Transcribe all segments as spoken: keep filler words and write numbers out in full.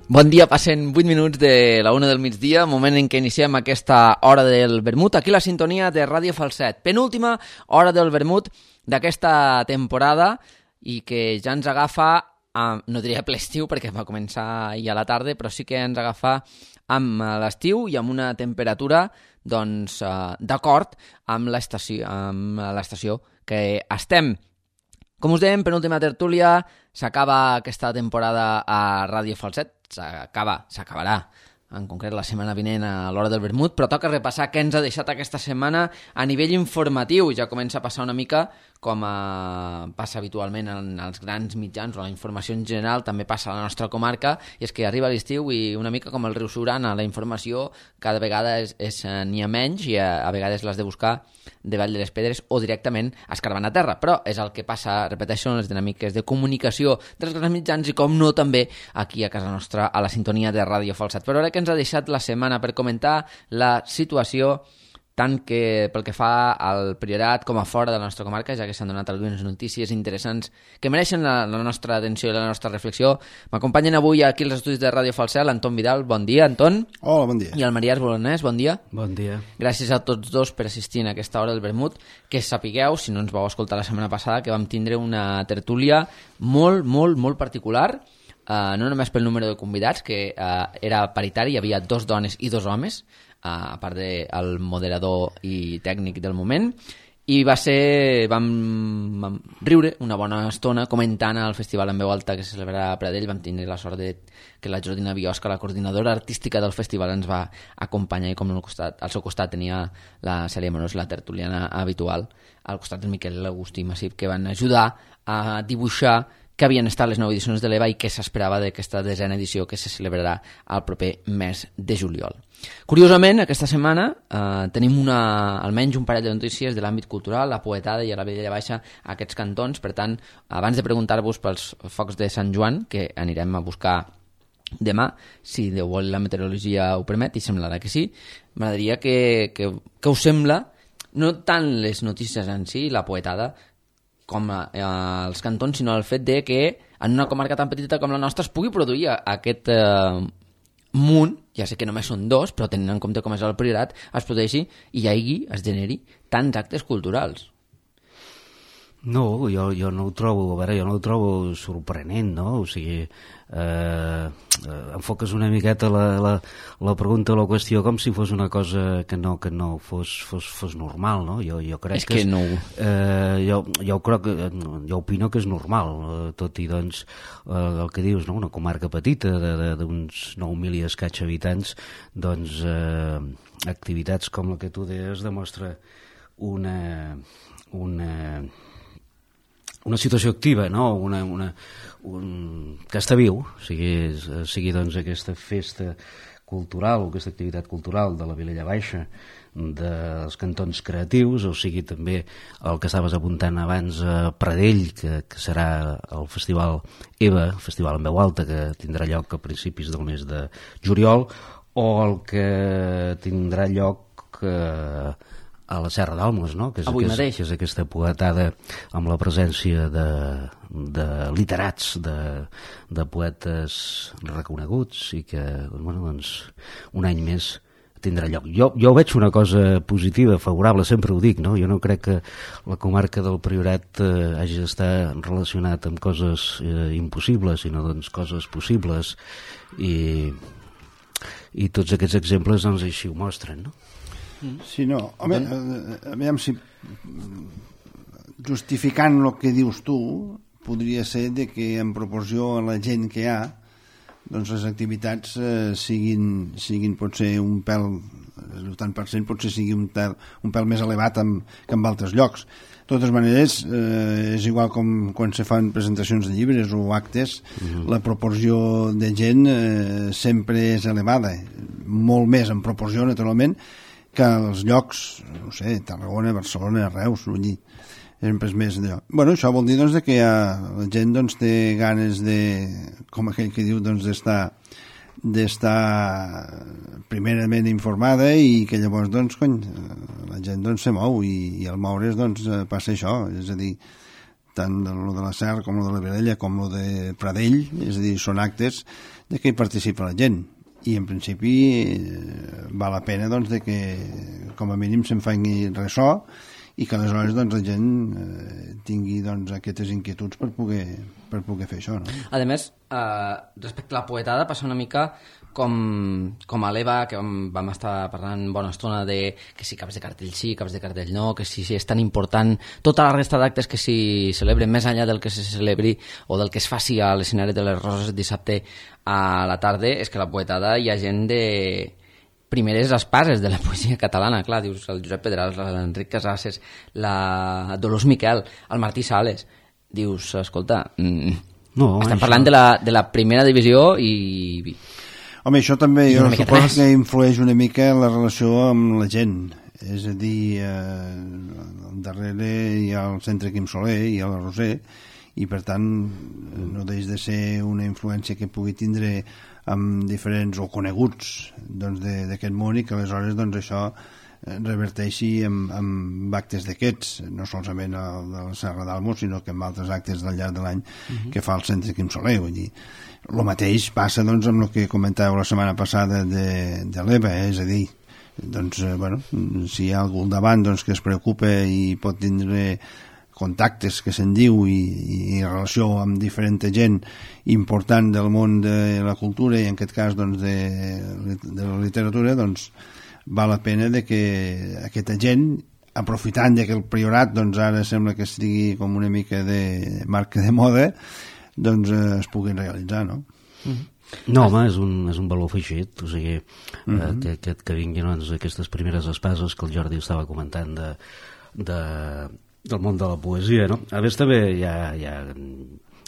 Bon dia, passen vuit minuts de la una del migdia, moment en què iniciem aquesta hora del vermut, aquí la sintonia de Ràdio Falset. Penúltima hora del vermut d'aquesta temporada i que ja ens agafa, amb, no diria ple estiu perquè va començar ahir a la tarda, però sí que ens agafa amb l'estiu i amb una temperatura doncs, d'acord amb l'estació, amb l'estació que estem. Com us dèiem, penúltima tertúlia, s'acaba aquesta temporada a Ràdio Falset, s'acaba, s'acabarà, en concret la setmana vinent a l'hora del vermut, però toca repassar què ens ha deixat aquesta setmana a nivell informatiu. Ja comença a passar una mica com a, passa habitualment en els grans mitjans, o la informació en general també passa a la nostra comarca, i és que arriba l'estiu i una mica com el riu Siurana, la informació cada vegada és, és, n'hi ha menys i a, a vegades l'has de buscar de Vall de les Pedres o directament escarbant a terra, però és el que passa, repeteixo, en les dinàmiques de comunicació dels grans mitjans i com no també aquí a casa nostra a la sintonia de Ràdio Falset. Però ara que ens ha deixat la setmana per comentar la situació tant que pel que fa al Priorat com a fora de la nostra comarca, ja que s'han donat algunes notícies interessants que mereixen la, la nostra atenció i la nostra reflexió. M'acompanyen avui aquí als estudis de Ràdio Falset l'Anton Vidal. Bon dia, Anton. Hola, bon dia. I el Marià Bolonès. Bon dia. Bon dia. Gràcies a tots dos per assistir a aquesta hora del vermut, que sapigueu, si no ens vau escoltar la setmana passada, que vam tindre una tertúlia molt, molt, molt particular, uh, no només pel número de convidats, que uh, era paritari, hi havia dos dones i dos homes, a part del moderador i tècnic del moment, i va ser, vam, vam riure una bona estona comentant el festival en veu alta que se celebrarà a Pradell. Vam tenir la sort de que la Jordina Biosca, la coordinadora artística del festival, ens va acompanyar, i com al, costat, al seu costat tenia la Cèlia Morós, la tertuliana habitual, al costat del Miquel Agustí Massip, que van ajudar a dibuixar que havien estat les nou edicions de l'E V A i què s'esperava d'aquesta desena edició que se celebrarà el proper mes de juliol. Curiosament, aquesta setmana eh, tenim una, almenys un parell de notícies de l'àmbit cultural, la Poetada i a la Vilella Baixa, aquests cantons. Per tant, abans de preguntar-vos pels focs de Sant Joan, que anirem a buscar demà, si Déu vol la meteorologia ho permet, i semblarà que sí, m'agradaria que, que, que us sembla, no tant les notícies en si, la Poetada, com eh, els cantons, sinó el fet de que en una comarca tan petita com la nostra es pugui produir aquest eh, munt, ja sé que només són dos, però tenint en compte com és el Priorat, es produeixi i hi hagi, es generi tants actes culturals. No, jo, jo no ho trobo, a veure, jo no ho trobo sorprenent, no? O sigui, eh, eh, enfoques una miqueta la, la, la pregunta o la qüestió com si fos una cosa que no, que no fos, fos, fos normal, no? Jo, jo crec és que, que és, no. Eh, jo, jo crec que, jo opino que és normal, eh, tot i doncs eh, el que dius, no? Una comarca petita d'uns nou mil i escaig habitants, doncs eh, activitats com la que tu deies demostra una... una una situació activa, no? una, una, un, que està viu, sigui, sigui doncs aquesta festa cultural o aquesta activitat cultural de la Vilella Baixa, dels cantons creatius, o sigui també el que estaves apuntant abans a Pradell, que, que serà el festival EVA, el festival en veu alta, que tindrà lloc a principis del mes de juliol, o el que tindrà lloc eh, a la Serra d'Almos, no? Que és, avui que és, mateix. que és aquesta poetada amb la presència de, de literats, de, de poetes reconeguts, i que bueno, doncs, un any més tindrà lloc. Jo, jo veig una cosa positiva, favorable, sempre ho dic, no? Jo no crec que la comarca del Priorat eh, hagi d'estar relacionat amb coses eh, impossibles, sinó doncs coses possibles, i, i tots aquests exemples doncs, així ho mostren, no? Sí, no, home, a veure si justificant el que dius tu podria ser de que en proporció a la gent que hi ha, doncs les activitats eh, siguin, siguin potser un pèl, el tant per cent potser sigui un pèl, un pèl més elevat amb, que en altres llocs. De totes maneres, eh, és igual com quan se fan presentacions de llibres o actes, uh-huh. La proporció de gent eh, sempre és elevada, molt més en proporció, naturalment, que els llocs, no sé, Tarragona, Barcelona, Reus, vull dir, sempre és més d'allò. Bueno, això vol dir doncs, que ha, la gent doncs, té ganes de, com aquell que diu, doncs, d'estar d'estar primerament informada, i que llavors doncs, cony, la gent doncs, se mou, i, i al moure's doncs, passa això, és a dir, tant el de la Serra com el de la Vilella com el de Pradell, és a dir, són actes de què hi participa la gent, i en principi eh, val la pena doncs, de que com a mínim se'n faci ressò i que aleshores doncs, la gent eh, tingui doncs, aquestes inquietuds per poder, per poder fer això. No? A més, eh, respecte a la poetada, passa una mica com, com a l'Eva, que vam, vam estar parlant bona estona de que si caps de cartell sí, caps de cartell no, que si, si és tan important tota la resta d'actes que s'hi celebren més enllà del que se celebri o del que es faci a l'escenari de les Roses dissabte a la tarda, és que la poetada hi ha gent de primeres espases de la poesia catalana, clar, dius el Josep Pedrals, l'Enric Casases, la Dolors Miquel, el Martí Sales, dius, escolta, mm, no, estem això... parlant de la, de la primera divisió i... Home, això també jo suposo que influeix una mica en la relació amb la gent, és a dir, eh, darrere hi ha el Centre Quim Soler, hi ha la Roser, i per tant no deix de ser una influència que pugui tindre amb diferents o coneguts doncs, d'aquest món, i que aleshores doncs, això reverteixi amb, amb actes d'aquests, no solament el de la Serra d'Almos, sinó que amb altres actes del llarg de l'any uh-huh. que fa el Centre Quim Soler. Vull dir, el mateix passa doncs, amb el que comentàveu la setmana passada de, de l'E V A, eh? És a dir, doncs, eh, bueno, si hi ha algú al davant doncs, que es preocupa i pot tindre contactes, que se'n diu, i, i relació amb diferent gent important del món de la cultura i en aquest cas doncs, de, de la literatura, doncs val la pena de que aquesta gent, aprofitant que el priorat doncs, ara sembla que estigui com una mica de marca de moda, doncs eh, es puguin realitzar, no? Mm-hmm. No, home, és un, és un valor afegit, o sigui, mm-hmm. eh, que, que, que vinguin doncs, aquestes primeres espases que el Jordi estava comentant de, de, del món de la poesia, no? A més també hi ha, hi ha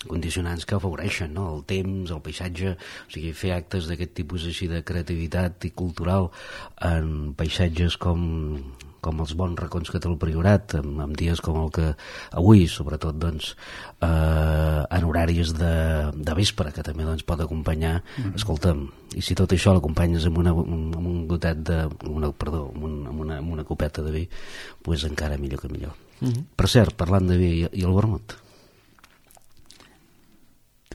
condicionants que afavoreixen, no? El temps, el paisatge, o sigui, fer actes d'aquest tipus així de creativitat i cultural en paisatges com, com els bons racons que té el Priorat, en, en dies com el que avui, sobretot, doncs, eh, en horaris de, de vespre, que també doncs, pot acompanyar, mm-hmm. escolta'm, i si tot això l'acompanyes amb, una, amb un gotet de, una, perdó, amb, un, amb, una, amb una copeta de vi, doncs encara millor que millor. Mm-hmm. Per cert, parlant de vi i, i el vermut,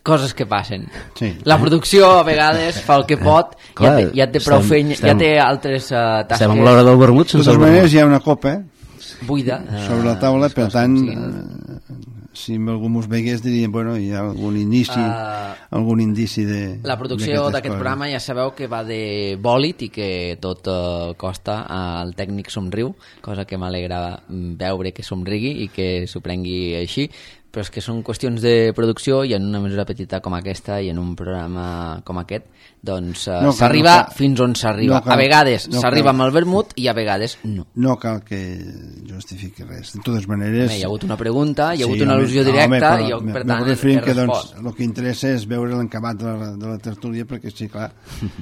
coses que passen. Sí. La producció a vegades fa el que pot, Clar, ja, té, ja té prou feina, ja té altres uh, tasques. Estem a l'hora del vermut sense el vermut. De totes maneres hi ha una copa buida sobre la taula, uh, per tant uh, si algú mos vegués diria, bueno, hi ha algun inici uh, algun indici de la producció d'aquest programa ja sabeu que va de bòlit i que tot uh, costa al tècnic somriu, cosa que m'alegra veure que somrigui i que s'ho prengui així, però és que són qüestions de producció i en una mesura petita com aquesta i en un programa com aquest doncs uh, no s'arriba no fins on s'arriba. No a vegades no s'arriba amb el vermut i a vegades no. No cal que justifiqui res. De totes maneres... Bé, hi ha hagut una pregunta, hi ha hagut sí, una al·lusió directa home, però, i jo, per tant, he respost. Que doncs, el que interessa és veure l'encabat de, la, de la tertúlia perquè, sí, clar,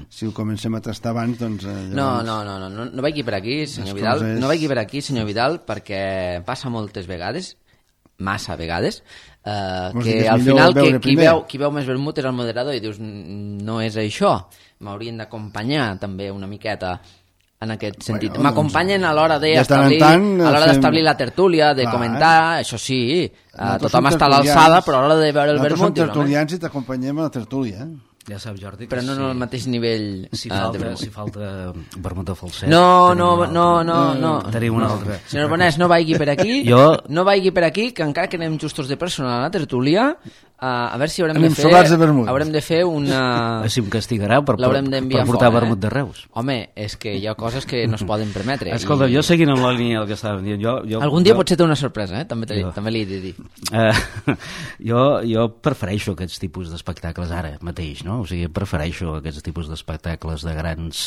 si ho comencem a tastar abans, doncs... Eh, llavors... no, no, no, no, no, no vagi per aquí, senyor Vidal, coses... no vagi per aquí, senyor Vidal, perquè passa moltes vegades massa vegades eh, que al final que, qui, veu, qui veu més vermut és el moderador i dius no és això, m'haurien d'acompanyar també una miqueta en aquest sentit, bueno, m'acompanyen a l'hora d'establir a l'hora d'establir la tertúlia, de Clar, comentar, eh? Això sí eh, tothom està a l'alçada, però a l'hora de veure el vermut nosaltres som tertulians i t'acompanyem a la tertúlia, eh? Ja saps, Jordi, però no, no al mateix nivell si falta, uh, si falta vermut de falset no, no, no, no, no tenim una altra. Senyor Bonès, no vagi per aquí jo... no vagi per aquí, que encara que anem justos de personal a la tertúlia, uh, a veure si haurem anem de fer de haurem de fer una... si em castigarà per, per, per portar fora, vermut de Reus. Home, és que hi ha coses que no es poden permetre. Escolta, i... jo seguint amb la línia del que estàvem dient jo, jo, algun dia jo... potser té una sorpresa, eh? també, jo... també li he de dir. Uh, jo, jo prefereixo aquests tipus d'espectacles ara mateix, no? O sigui, prefereixo aquests tipus d'espectacles de grans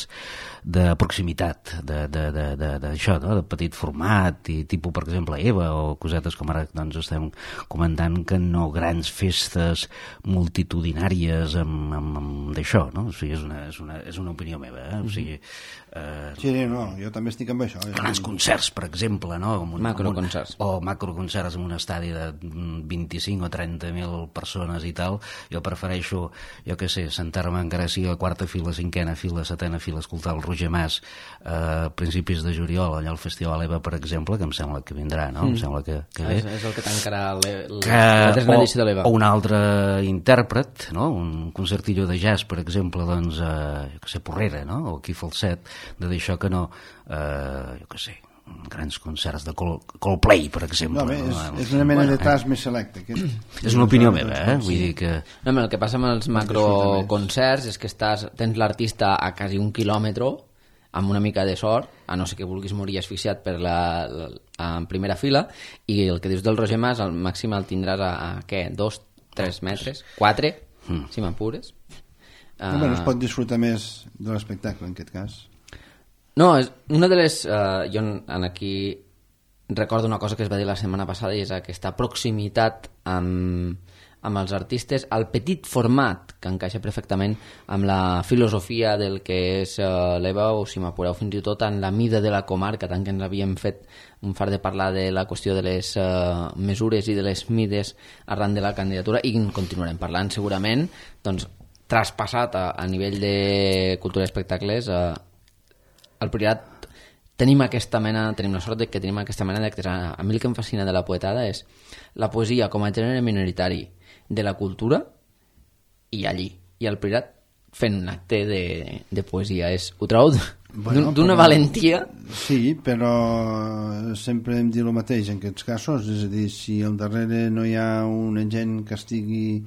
de proximitat de, de, de, de, de, això, no? De petit format i tipus, per exemple, Eva o cosetes com ara doncs, estem comentant, que no grans fes festes multitudinàries amb, amb, amb d'això, no? O sigui, és una, és una, és una opinió meva, eh? O sigui, eh, sí, no, jo també estic amb això. Grans concerts, per exemple, no? Un, macroconcerts. Un, o macroconcerts en un estadi de vint-i-cinc o trenta mil persones i tal. Jo prefereixo, jo què sé, sentar-me encara sigui a quarta fila, cinquena fila, setena fila, escoltar el Roger Mas a principis de juliol, allà al Festival EVA, per exemple, que em sembla que vindrà, no? Mm. Em sembla que, que bé. És, és el que tancarà que, la tercera edició de l'EVA. O un altre intèrpret, no? Un concertillo de jazz, per exemple, doncs, eh, jo què sé, Porrera, no? O aquí Falset, de d'això que no, eh, jo què sé, grans concerts de Col Coldplay, per exemple. No, bé, és, no? és una mena bueno, de tas eh? més selecte. Aquest. És una opinió meva, eh? Vull dir que... No, el que passa amb els macroconcerts és que estàs, tens l'artista a quasi un quilòmetre amb una mica de sort, a no ser que vulguis morir asfixiat per la, la, en primera fila, i el que dius del Roger Mas, al màxim el tindràs a, a què? Dos, tres metres? Quatre? Mm. Si m'apures. No, uh, no es pot disfrutar més de l'espectacle, en aquest cas. No, és una de les... Uh, jo en aquí recordo una cosa que es va dir la setmana passada, i és aquesta proximitat amb, amb els artistes, al petit format, que encaixa perfectament amb la filosofia del que és uh, l'EVA, o si m'apureu fins i tot en la mida de la comarca, tant que ens havíem fet un far de parlar de la qüestió de les uh, mesures i de les mides arran de la candidatura, i en continuarem parlant segurament, doncs traspassat a, a nivell de cultura i espectacles. Uh, al Priorat tenim aquesta mena, tenim la sort de que tenim aquesta mena d'actes. A mi el que em fascina de la poetada és la poesia com a gènere minoritari de la cultura, i allí, i al Priorat fent un acte de, de poesia. És, ho trobo bueno, d'una valentia. Sí, però sempre hem dit el mateix en aquests casos, és a dir, si al darrere no hi ha una gent que estigui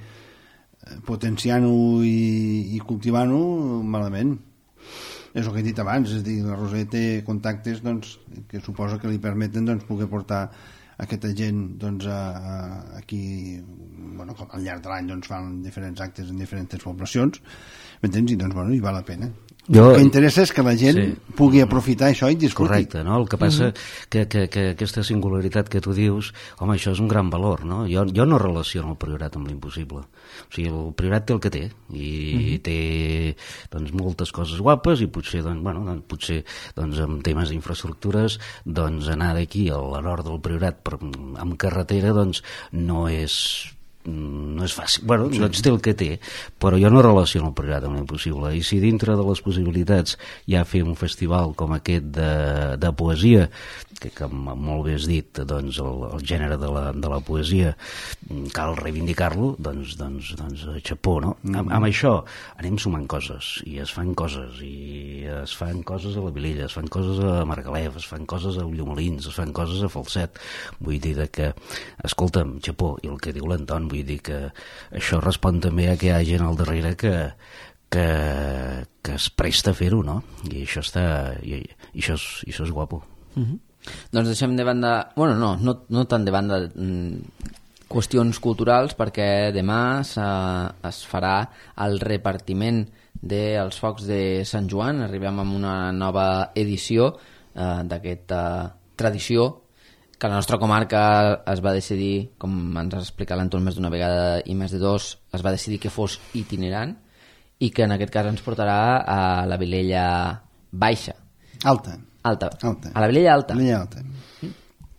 potenciant-ho i, i cultivant-ho, malament. És el que he dit abans, és a dir, la Roser té contactes, doncs, que suposo que li permeten, doncs, poder portar aquesta gent, doncs, a, a, aquí, bueno, com al llarg de l'any, doncs, fan diferents actes en diferents poblacions, m'entens? I, doncs, bueno, hi val la pena. Jo, el que interessa és que la gent sí. pugui aprofitar això i disfruti. Correcte, no? El que passa mm-hmm. que, que, que aquesta singularitat que tu dius, home, això és un gran valor, no? Jo, jo no relaciono el Priorat amb l'impossible. O sigui, el Priorat té el que té, i mm-hmm. té, doncs, moltes coses guapes, i potser, doncs, bueno, doncs, potser, doncs, amb temes d'infraestructures, doncs, anar d'aquí a la nord del Priorat per, amb carretera, doncs, no és... no és fàcil, bueno, sí. doncs té el que té, però jo no relaciono el Priorat amb l'impossible, i si dintre de les possibilitats hi ha fer un festival com aquest de, de poesia, que com molt bé has dit, doncs el, el gènere de la, de la poesia cal reivindicar-lo, doncs, doncs, doncs xapó, no? Mm-hmm. Amb, amb això anem sumant coses, i es fan coses, i es fan coses a la Vilella, es fan coses a Margalef, es fan coses a Ulldemolins, es fan coses a Falset. Vull dir que, escolta'm, xapó, i el que diu l'Anton, vull dir que això respon també a que hi ha gent al darrere que, que, que es presta a fer-ho, no? I això està, i, i això és, i això és guapo. Mm-hmm. Doncs deixem de banda, bueno, no, no, no tant de banda mm, qüestions culturals, perquè demà es farà el repartiment dels focs de Sant Joan. Arribem amb una nova edició eh, d'aquesta tradició que a la nostra comarca es va decidir, com ens ha explicat l'Anton més d'una vegada i més de dos, es va decidir que fos itinerant, i que en aquest cas ens portarà a la Vilella Baixa. Alta. Alta. Alta. A la Vilella Alta. Vilella Alta.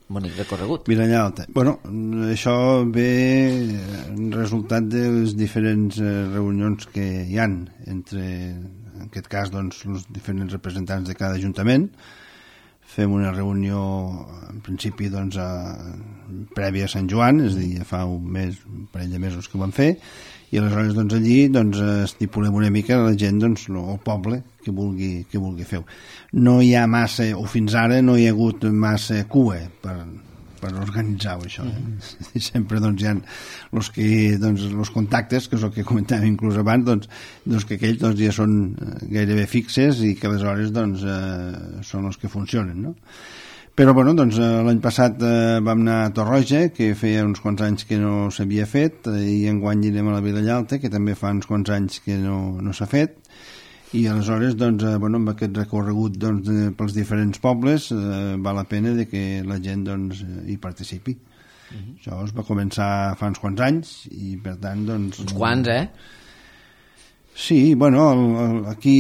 Bonic recorregut. Vilella Alta. Bueno, això ve en resultat de les diferents reunions que hi han entre, en aquest cas, doncs, els diferents representants de cada ajuntament. Fem una reunió, en principi, doncs, a, prèvia a Sant Joan, és a dir, fa un mes, un parell de mesos que ho vam fer, i aleshores, doncs, allí, doncs, estipulem una mica la gent, doncs, el poble que vulgui, que vulgui fer. No hi ha massa, o fins ara no hi ha hagut massa cua per, per organitzar això. Eh? Mm-hmm. I sempre, doncs, hi ha els que, doncs, els contactes, que és el que comentàvem inclús abans, doncs, doncs que aquells, doncs, ja són gairebé fixes i que aleshores, doncs, eh, són els que funcionen, no? Però, bueno, doncs, l'any passat eh, vam anar a Torroja, que feia uns quants anys que no s'havia fet, i enguany anirem a la Vilella Alta, que també fa uns quants anys que no, no s'ha fet, i aleshores, doncs, eh, bueno, amb aquest recorregut, doncs, de, pels diferents pobles, eh, val la pena de que la gent, doncs, hi participi. Uh-huh. Això es va començar fa uns quants anys i per tant doncs... Uns quants, eh? Sí, bueno, el, el, aquí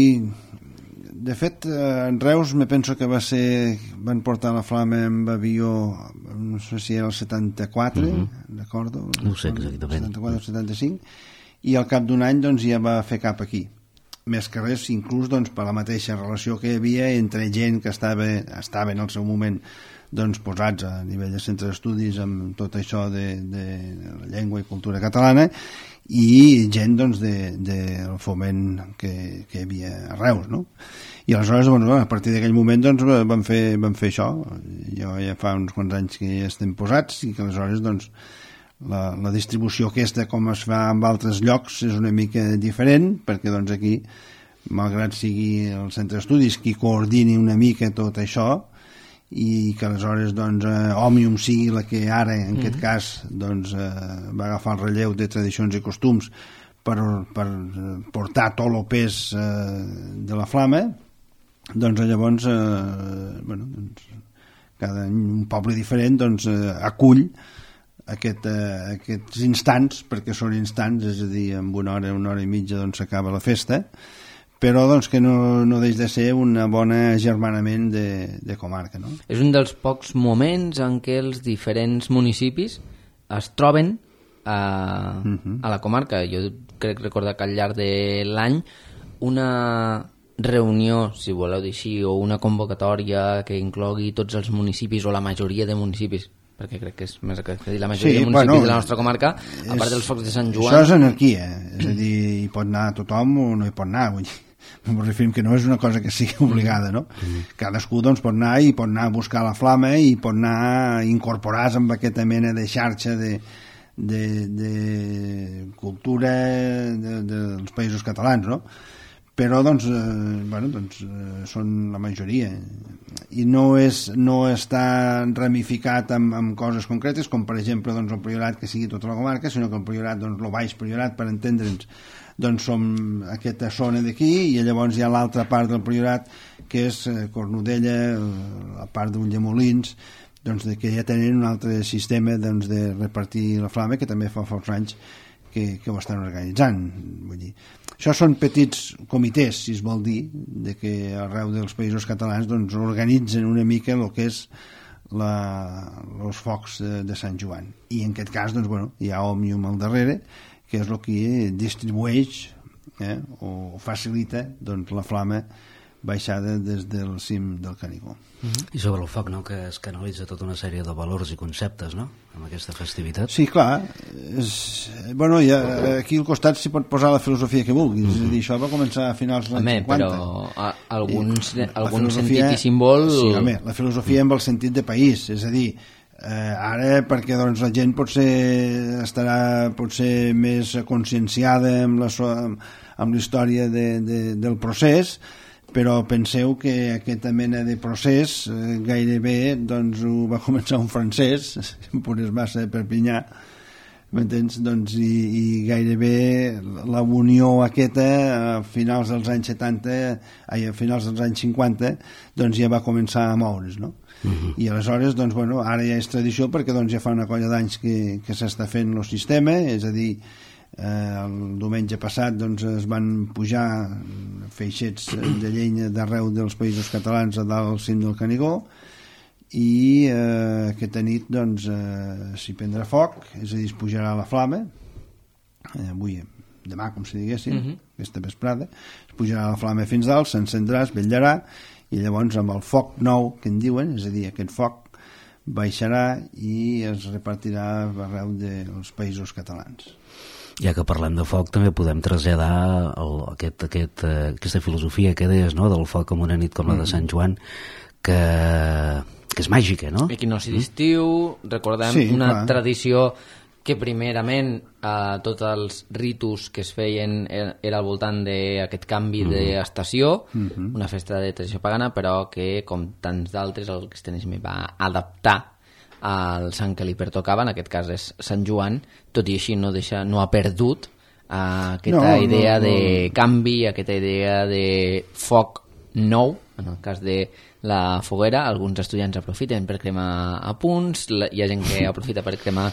de fet en Reus me penso que va ser van portar la flama amb avió no sé si era el setanta-quatre uh-huh. recordo, no ho sé exactament setanta-quatre o setanta-cinc i al cap d'un any doncs ja va fer cap aquí més que res inclús doncs per la mateixa relació que hi havia entre gent que estava, estava en el seu moment doncs posats a nivell de centre d'estudis amb tot això de, de la llengua i cultura catalana i gent doncs del de, de foment que, que hi havia a Reus, no? I aleshores doncs, a partir d'aquell moment doncs, van, fer, van fer això. Jo ja fa uns quants anys que ja estem posats i que aleshores doncs, la, la distribució aquesta com es fa en altres llocs és una mica diferent perquè doncs, aquí, malgrat sigui el centre d'estudis qui coordini una mica tot això i que aleshores doncs, eh, Òmnium sigui la que ara en mm-hmm. aquest cas doncs, eh, va agafar el relleu de tradicions i costums per, per portar tot el pes eh, de la flama doncs llavors eh, bueno, doncs, cada any un poble diferent doncs, eh, acull aquest, eh, aquests instants perquè són instants, és a dir en una hora, una hora i mitja doncs s'acaba la festa però doncs, que no, no deix de ser un bon agermanament de, de comarca. No? És un dels pocs moments en què els diferents municipis es troben a, uh-huh. a la comarca. Jo crec recordar que al llarg de l'any una reunió, si voleu dir així, o una convocatòria que inclogui tots els municipis o la majoria de municipis, perquè crec que és més que dir la majoria sí, de municipis bueno, de la nostra comarca, és, a part dels focs de Sant Joan... Això és anarquia, és a dir, hi pot anar tothom o no hi pot anar, vull dir. Em referim que no és una cosa que sigui obligada, no? Mm. Cadascú doncs, pot anar i pot anar a buscar la flama i pot anar a incorporar-se amb aquesta mena de xarxa de, de, de cultura de, de, dels països catalans, no? Però doncs, eh, bueno, doncs eh, són la majoria i no, és, no està ramificat amb, amb coses concretes com per exemple doncs, el Priorat que sigui tota la comarca, sinó que el Priorat, doncs, el Baix Priorat per entendre'ns doncs som aquesta zona d'aquí i llavors hi ha l'altra part del Priorat que és Cornudella, la part d'Ulldemolins, doncs de que ja tenen un altre sistema doncs, de repartir la flama que també fa forts anys que, que ho estan organitzant. Vull dir, això són petits comitès, si es vol dir, de que arreu dels països catalans doncs, organitzen una mica el que és els focs de, de Sant Joan. I en aquest cas doncs, bueno, hi ha Òmnium al darrere que és el que distribueix eh, o facilita doncs, la flama baixada des del cim del Canigó. Mm-hmm. I sobre el foc, no?, que es canalitza tota una sèrie de valors i conceptes, no?, amb aquesta festivitat. Sí, clar. És, bueno, ja, aquí al costat s'hi pot posar la filosofia que vulguis. Mm-hmm. És a dir, això va començar a finals dels anys cinquanta. Però a, alguns, I, algun sentit i símbol... Sí, home, la filosofia amb el sentit de país, és a dir, Eh, ara perquè doncs, la gent potser estarà potser més conscienciada amb la, amb la història de, de, del procés, però penseu que aquesta mena de procés eh, gairebé doncs, ho va començar un francès, Pures Massa de Perpinyà, m'entens? Doncs, i, i gairebé la unió aquesta a finals dels anys setanta, ai, a finals dels anys cinquanta doncs ja va començar a moure's, no? Uh-huh. I aleshores, doncs, bueno, ara ja és tradició perquè doncs, ja fa una colla d'anys que, que s'està fent el sistema, és a dir, eh, el diumenge passat doncs, es van pujar feixets de llenya d'arreu dels països catalans a dalt al cim del Canigó i eh, aquesta nit doncs, eh, s'hi prendrà foc, és a dir, es pujarà la flama, eh, avui, demà, com si diguéssim, uh-huh. aquesta vesprada, es pujarà la flama fins dalt, s'encendrà, es vetllarà, i llavors amb el foc nou que en diuen, és a dir, aquest foc baixarà i es repartirà arreu dels països catalans. Ja que parlem de foc també podem traslladar el, aquest, aquest, aquesta filosofia que deies, no?, del foc en una nit com la de Sant Joan que, que és màgica, no? Equinocci d'estiu, recordem sí, una clar. Tradició que primerament eh, tots els ritus que es feien era al voltant d'aquest canvi mm -hmm. d'estació, mm -hmm. una festa de tradició pagana, però que, com tants d'altres, el cristianisme va adaptar al sant que li pertocava, en aquest cas és Sant Joan, tot i així no, deixa, no ha perdut eh, aquesta no, idea no, no. de canvi, aquesta idea de foc nou, en el cas de la foguera, alguns estudiants aprofiten per cremar apunts, hi ha gent que aprofita per cremar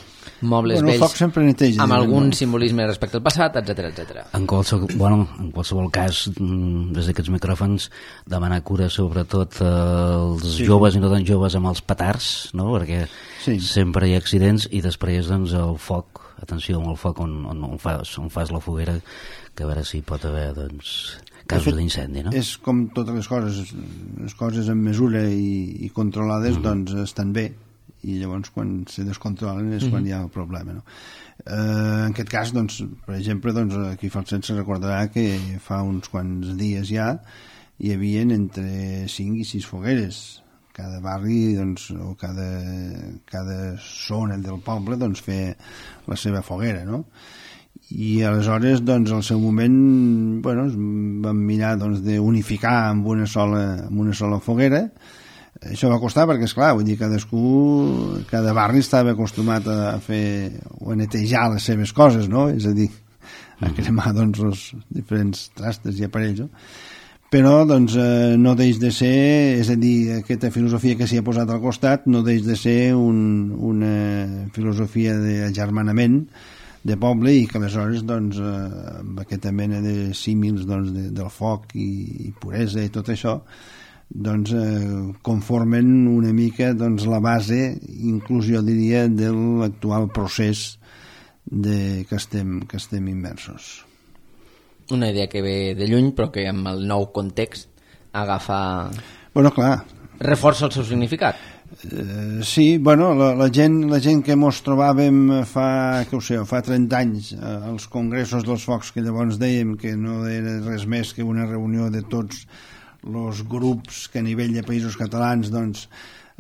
mobles bueno, vells sempre neteja, amb algun no? simbolisme respecte al passat, etcètera, etcètera. En qualsevol, bueno, en qualsevol cas, des d'aquests micròfons, demanar cura sobretot als sí. joves i no tan joves amb els petards, no? Perquè sí. sempre hi ha accidents, i després doncs, el foc, atenció amb el foc on, on, on, fas, on fas la foguera, que a veure si pot haver doncs, casos d'incendi, no? És com totes les coses, les coses en mesura i, i controlades, mm-hmm. doncs estan bé, i llavors quan se descontrolen és mm-hmm. quan hi ha el problema, no? Eh, en aquest cas, doncs, per exemple, doncs, aquí fa el Falset se recordarà que fa uns quants dies ja hi havia entre cinc i sis fogueres. Cada barri, doncs, o cada, cada zona del poble, doncs, fer la seva foguera, no? I aleshores, doncs, al seu moment, bueno, vam mirar, doncs, d'unificar amb una sola, amb una sola foguera. Això va costar perquè, esclar, vull dir, cadascú, cada barri estava acostumat a fer o a netejar les seves coses, no? És a dir, a cremar, doncs, els diferents trastes i aparells, no? Però, doncs, eh, no deix de ser, és a dir, aquesta filosofia que s'hi ha posat al costat no deix de ser un, una filosofia d'agermanament de poble, i que aleshores, doncs, eh, amb aquesta mena de símils, doncs, de, del foc i, i puresa i tot això, doncs, eh, conformen una mica, doncs, la base, inclús jo diria, de l'actual procés de, que, estem, que estem immersos. Una idea que ve de lluny, però que amb el nou context agafa... Bueno, clar. Reforça el seu significat. Uh, sí, bueno, la, la, gent, la gent que mos trobàvem fa, que ho sé, fa trenta anys uh, als congressos dels focs, que llavors dèiem que no era res més que una reunió de tots els grups que a nivell de països catalans, doncs,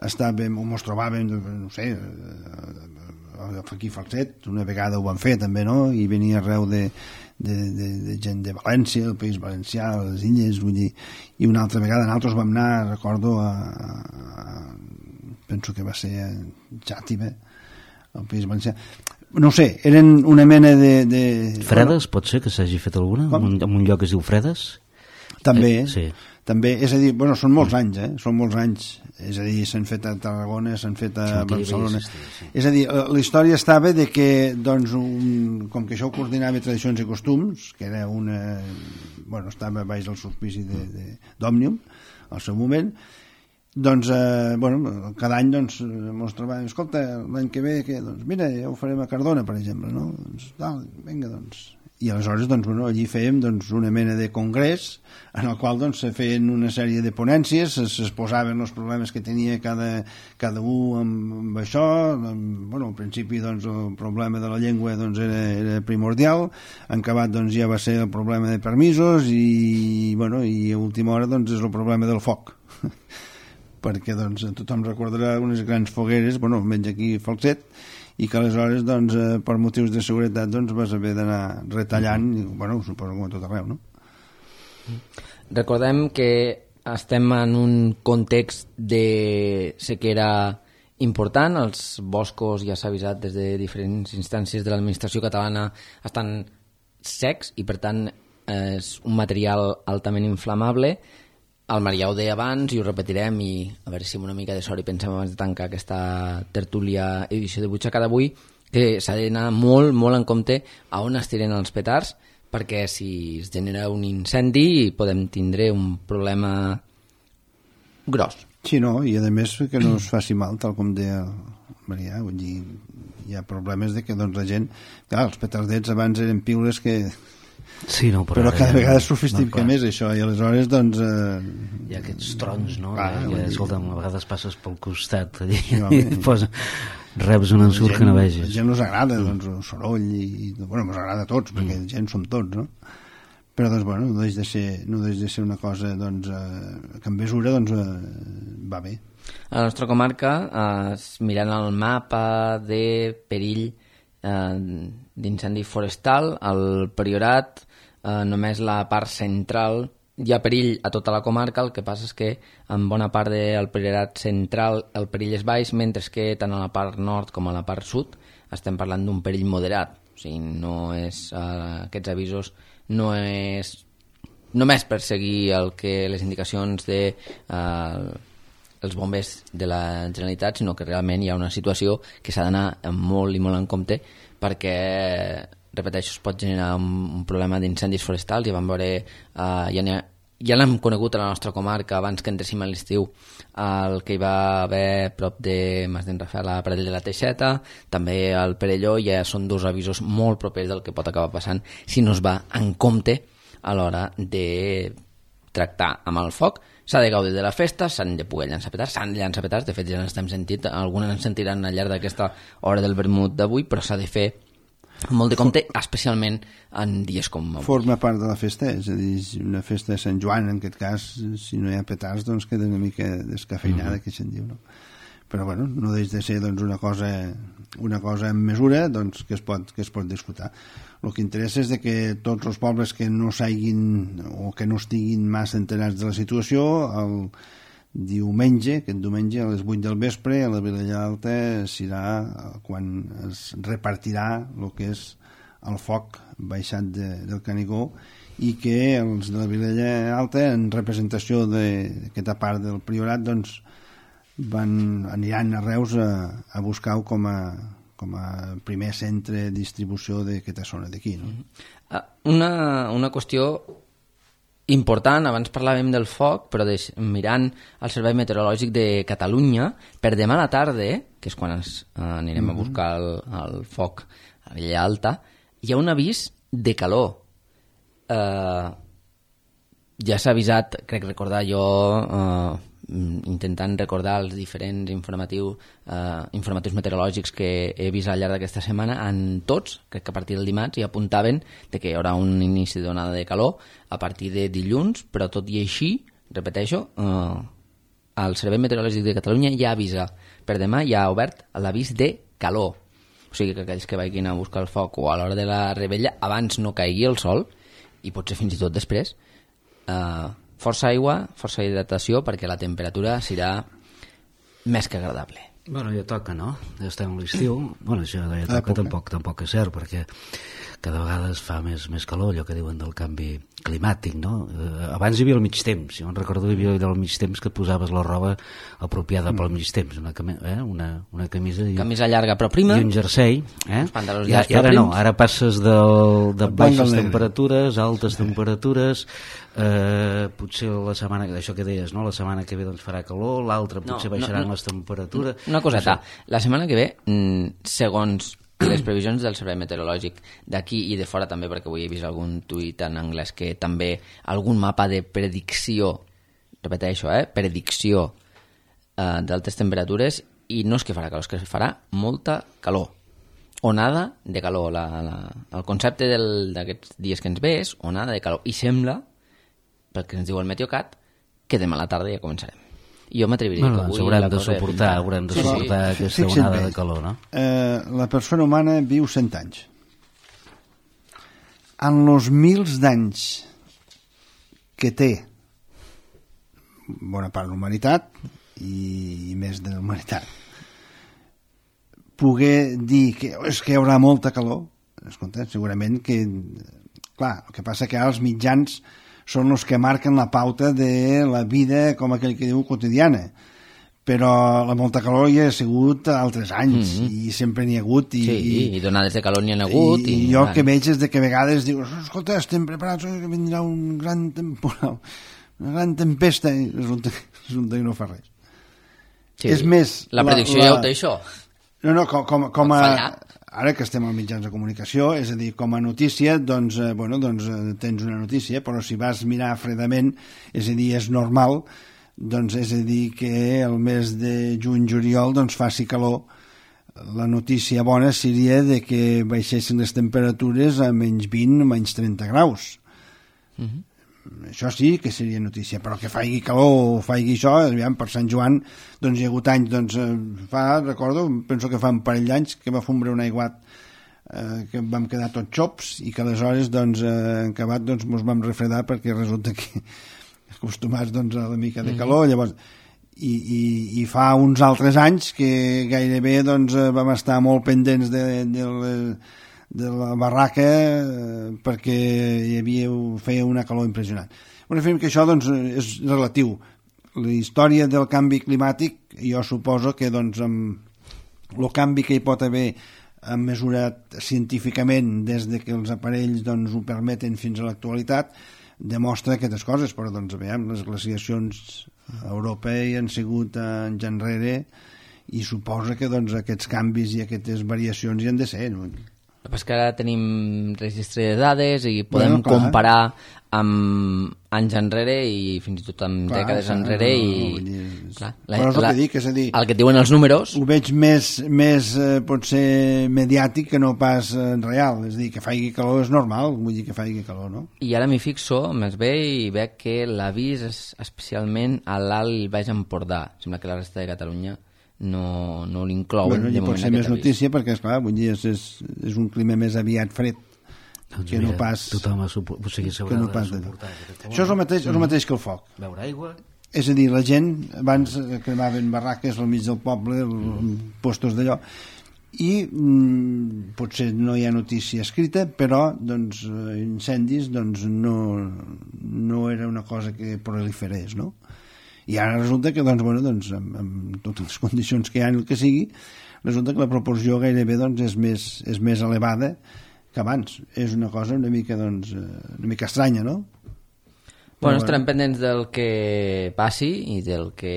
estàvem, o mos trobàvem, no sé, uh, aquí a Falset, una vegada ho van fer també, no? I venia arreu de De, de, de gent de València, el País Valencià, les Illes, vull dir, i una altra vegada nosaltres vam anar, recordo, a, a, penso que va ser a Xàtiva, al País Valencià. No sé, eren una mena de... de... Fredes, pot ser que s'hagi fet alguna? En un, en un lloc que es diu Fredes? També, eh, sí. També, és a dir, bueno, són molts anys, eh? Són molts anys, és a dir, s'han fet a Tarragona, s'han fet a sí, Barcelona. Existir, sí. És a dir, la història estava de que, doncs, un, com que això ho coordinava Tradicions i Costums, que era una... Bueno, estava baix del auspici d'Òmnium, al seu moment, doncs, eh, bueno, cada any, doncs, mos trobàvem, escolta, l'any que ve, que, doncs, mira, ja ho farem a Cardona, per exemple, no? Doncs, tal, vinga, doncs... I aleshores, doncs, bueno, allí fèiem, doncs, una mena de congrés en el qual, doncs, se feien una sèrie de ponències, es posaven els problemes que tenia cada, cada un amb, amb això. Amb, bueno, al principi, doncs, el problema de la llengua, doncs, era, era primordial. En acabat, doncs, ja va ser el problema de permisos i, bueno, i a última hora, doncs, és el problema del foc. Perquè, doncs, tothom recordarà unes grans fogueres, bueno, almenys aquí a Falset, i que aleshores, doncs, eh, per motius de seguretat, doncs, vas haver d'anar retallant, i, bueno, suposo com a tot arreu, no? Recordem que estem en un context de sequera important, els boscos, ja s'ha avisat des de diferents instàncies de l'administració catalana, estan secs i, per tant, és un material altament inflamable. El Marià ho deia abans i ho repetirem, i a veure si amb una mica de sort i pensem abans de tancar aquesta tertúlia edició de Butxaca d'avui, que s'ha d'anar molt, molt en compte a on es tiren els petards, perquè si es genera un incendi podem tindre un problema gros. Sí, no, i a més que no es faci mal, tal com deia el Marià, vull dir, hi ha problemes de que, doncs, la gent... Clar, els petardets abans eren piules que... Sí, no, però, però cada ja, vegada sofistica no, més això, i aleshores, doncs... Eh... Hi ha aquests trons, no? Clar, I, dir... escolta'm, a vegades passes pel costat allí, no, i posa, reps un ensurt gent, que no vegis. A gent us agrada, doncs, el soroll, i, i bueno, ens agrada a tots, perquè mm. gent som tots, no? Però, doncs, bueno, no deix de ser, no deix de ser una cosa, doncs, eh, que en mesura, doncs, eh, va bé. A la nostra comarca, eh, mirant el mapa de perill eh, d'incendi forestal, el Priorat, eh, només la part central, hi ha perill a tota la comarca, el que passa és que en bona part del Priorat central el perill és baix, mentre que tant a la part nord com a la part sud estem parlant d'un perill moderat. O sigui, no és, eh, aquests avisos no és només per seguir el que les indicacions de eh, els bombers de la Generalitat, sinó que realment hi ha una situació que s'ha d'anar molt i molt en compte perquè, repeteixo, es pot generar un, un problema d'incendis forestals. I vam veure, uh, ja, ha, ja l'hem conegut a la nostra comarca abans que entressim a l'estiu, el que hi va haver prop de Mas d'en Rafael, a Pradell de la Teixeta, també al Perelló. Ja són dos avisos molt propers del que pot acabar passant si no es va en compte a l'hora de tractar amb el foc. S'ha de gaudir de la festa, s'han de poder llançar petards, s'han de llançar petards, de fet ja n'estem sentint, algunes ens sentiran al llarg d'aquesta hora del vermut d'avui, però s'ha de fer molt de compte, especialment en dies com avui. Forma part de la festa, és a dir, una festa de Sant Joan, en aquest cas, si no hi ha petards, doncs queda una mica descafeinada, mm-hmm. que se'n diu, no? Però bueno, no deix de ser doncs, una cosa una cosa en mesura doncs, que, es pot, que es pot disfrutar. El que interessa és de que tots els pobles que no s'hagin o que no estiguin massa enterats de la situació, el diumenge, aquest diumenge a les vuit del vespre a la Vilella Alta serà quan es repartirà el que és el foc baixat de, del Canigó, i que els de la Vilella Alta, en representació d'aquesta part del Priorat, doncs van, aniran a Reus a, a buscar-ho com a, com a primer centre de distribució d'aquesta zona d'aquí, no? Una, una qüestió important, abans parlàvem del foc, però de, mirant el Servei Meteorològic de Catalunya, per demà a la tarda, que és quan ens eh, anirem mm-hmm. a buscar el, el foc a l'illa alta, hi ha un avís de calor. Eh, ja s'ha avisat, crec recordar jo, eh, intentant recordar els diferents informatius, eh, informatius meteorològics que he vist al llarg d'aquesta setmana, en tots, crec que a partir del dimarts, hi apuntaven de que hi haurà un inici d'onada de calor a partir de dilluns, però tot i així, repeteixo, eh, el Servei Meteorològic de Catalunya ja avisa, per demà ja ha obert l'avís de calor. O sigui que aquells que vagin a buscar el foc o a l'hora de la rebella, abans no caigui el sol, i potser fins i tot després, eh, força aigua, força hidratació, perquè la temperatura serà més que agradable. Bueno, ja toca, no? Ja estem a l'estiu. Bueno, això ja toca, tampoc, tampoc és cert, perquè cada vegada es fa més, més calor, allò que diuen del canvi climàtic, no? Eh, abans hi havia el mig temps, jo em recordo que hi havia el mig temps que et posaves la roba apropiada mm. pel mig temps, una, cami eh? una, una camisa... I, camisa llarga però prima. I un jersei. Eh? Els pantalons I, llargs i ara però no, ara passes del, de baixes temperatures, altes sí. temperatures, eh, potser la setmana, això que deies, no? La setmana que ve doncs farà calor, l'altra potser no, baixaran no, no. les temperatures... Una coseta, la setmana que ve, segons les previsions del Servei Meteorològic d'aquí i de fora també, perquè avui he vist algun tuit en anglès que també algun mapa de predicció, repeteixo, eh, predicció eh, d'altes temperatures, i no és que farà calor, és que farà molta calor. Onada de calor. La, la, el concepte d'aquests dies que ens ve és onada de calor. I sembla, pel que ens diu el Meteocat, que demà a la tarda ja començarem. Jo m'atreviria bueno, que avui... Haurem de suportar, haurem de suportar sí, sí. aquesta onada de calor, no? Eh, la persona humana viu cent anys. En els mils d'anys que té bona part de l'humanitat i, i més de la humanitat, poder dir que és que hi haurà molta calor, escolta, segurament que... Clar, el que passa que ara els mitjans són els que marquen la pauta de la vida, com aquell que diu, quotidiana. Però la molta calor hi ha sigut altres anys, mm -hmm. i sempre n'hi ha hagut. I, sí, i, i donades de calor n'hi ha hagut. I, i, i jo que veig és de que a vegades dius, escolta, estem preparats, que vindrà un gran temporal, una gran tempesta, i resulta, resulta que no fa res. Sí, és més... La predicció la, la... ja ho té, això. No, no, com, com, com a... Ara que estem als mitjans de comunicació, és a dir, com a notícia, doncs, eh, bueno, doncs eh, tens una notícia, però si vas mirar fredament, és a dir, és normal, doncs és a dir que el mes de juny-juliol doncs faci calor. La notícia bona seria de que baixessin les temperatures a menys vint, menys trenta graus. Mm-hmm. Això sí que seria notícia, però que faigui calor o faigui això, aviam, per Sant Joan doncs hi ha hagut anys, doncs fa, recordo, penso que fa un parell d'anys que va fondre un aiguat eh, que vam quedar tots xops i que aleshores doncs eh, en acabat doncs mos vam refredar perquè resulta que acostumats doncs a la mica de calor, llavors i, i, i fa uns altres anys que gairebé doncs vam estar molt pendents de, de les de la barraca eh, perquè hi havia, feia una calor impressionant. Bueno, fem que això doncs, és relatiu. la història del canvi climàtic, jo suposo que doncs, amb el canvi que hi pot haver mesurat científicament des de que els aparells doncs, ho permeten fins a l'actualitat, demostra aquestes coses, però doncs, veiem, les glaciacions a Europa hi han sigut anys enrere i suposa que doncs, aquests canvis i aquestes variacions hi han de ser. No? El que passa que ara tenim registre de dades i podem bueno, clar, comparar amb anys enrere i fins i tot amb clar, dècades clar, enrere no, no, i... Dir, clar, la, però és el la, que dic, és a dir... El que et diuen els números... Ho veig més, més eh, potser mediàtic que no pas eh, real, és a dir, que faigui calor és normal, vull dir que faigui calor, no? I ara m'hi fixo, més bé, i veig que l'avís és especialment a l'Alt i Baix Empordà. Sembla que la resta de Catalunya no, no l'inclouen. Bueno, i pot ser més notícia perquè, esclar, vull dir, és, és, és un clima més aviat fred doncs que mira, no pas... Tothom ha supo... o sigui, que no pas suportar. Això és el, mateix, és el mateix que el foc. Beure aigua... És a dir, la gent abans cremaven barraques al mig del poble, mm. postos d'allò, i mm, potser no hi ha notícia escrita, però doncs, incendis doncs, no, no era una cosa que proliferés, no? I ara resulta que doncs, bueno, doncs, amb, amb totes les condicions que hi ha, el que sigui, resulta que la proporció gairebé doncs, és, més, és més elevada que abans. És una cosa una mica, doncs, una mica estranya, no? Bueno, estarem pendents del que passi i del que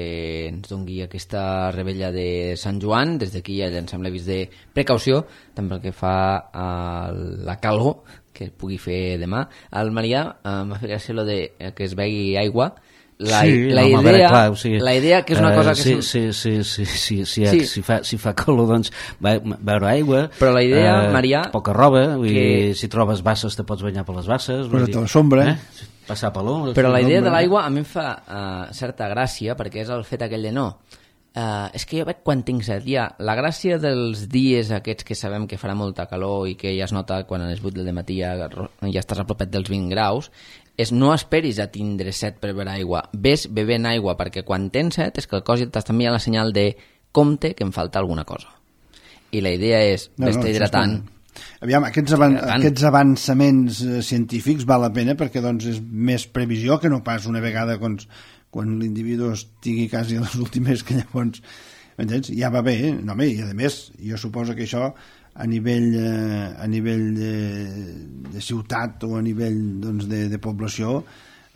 ens doni aquesta rebella de Sant Joan. Des d'aquí ja llancem l'avís de precaució, tant pel que fa a la calor que pugui fer demà. Al Marià eh, m'ha fet gràcia lo de que es begui aigua. La, sí, la, no, idea, veure, clar, o sigui, la idea que és una cosa uh, que... Sí, és... sí, sí, sí, sí, sí, sí. Si, fa, si fa calor, doncs, beure aigua... Però la idea, uh, Marià... Poca roba, vull que... dir, si trobes basses te pots banyar per les basses... Però a la sombra... Eh? Passar per l'ombra... Però la idea de l'aigua a mi em fa uh, certa gràcia, perquè és el fet aquell de no. Uh, és que jo veig quan tinc set. Ja, la gràcia dels dies aquests que sabem que farà molta calor i que ja es nota quan a les vuit del matí ja, ja estàs a propet dels vint graus, és no esperis a tindre set per beure aigua. Ves bevent aigua, perquè quan tens set és que el cos ja t'està enviant la senyal de compte que em falta alguna cosa. I la idea és no, vés-te no, hidratant. Aviam, aquests, avan aquests avançaments eh, científics val la pena perquè doncs, és més previsió que no pas una vegada quan, quan l'individu estigui quasi a les últimes que llavors entens? Ja va bé, eh? No, home, i a més jo suposo que això a nivell, eh, a nivell de, de ciutat o a nivell doncs, de, de població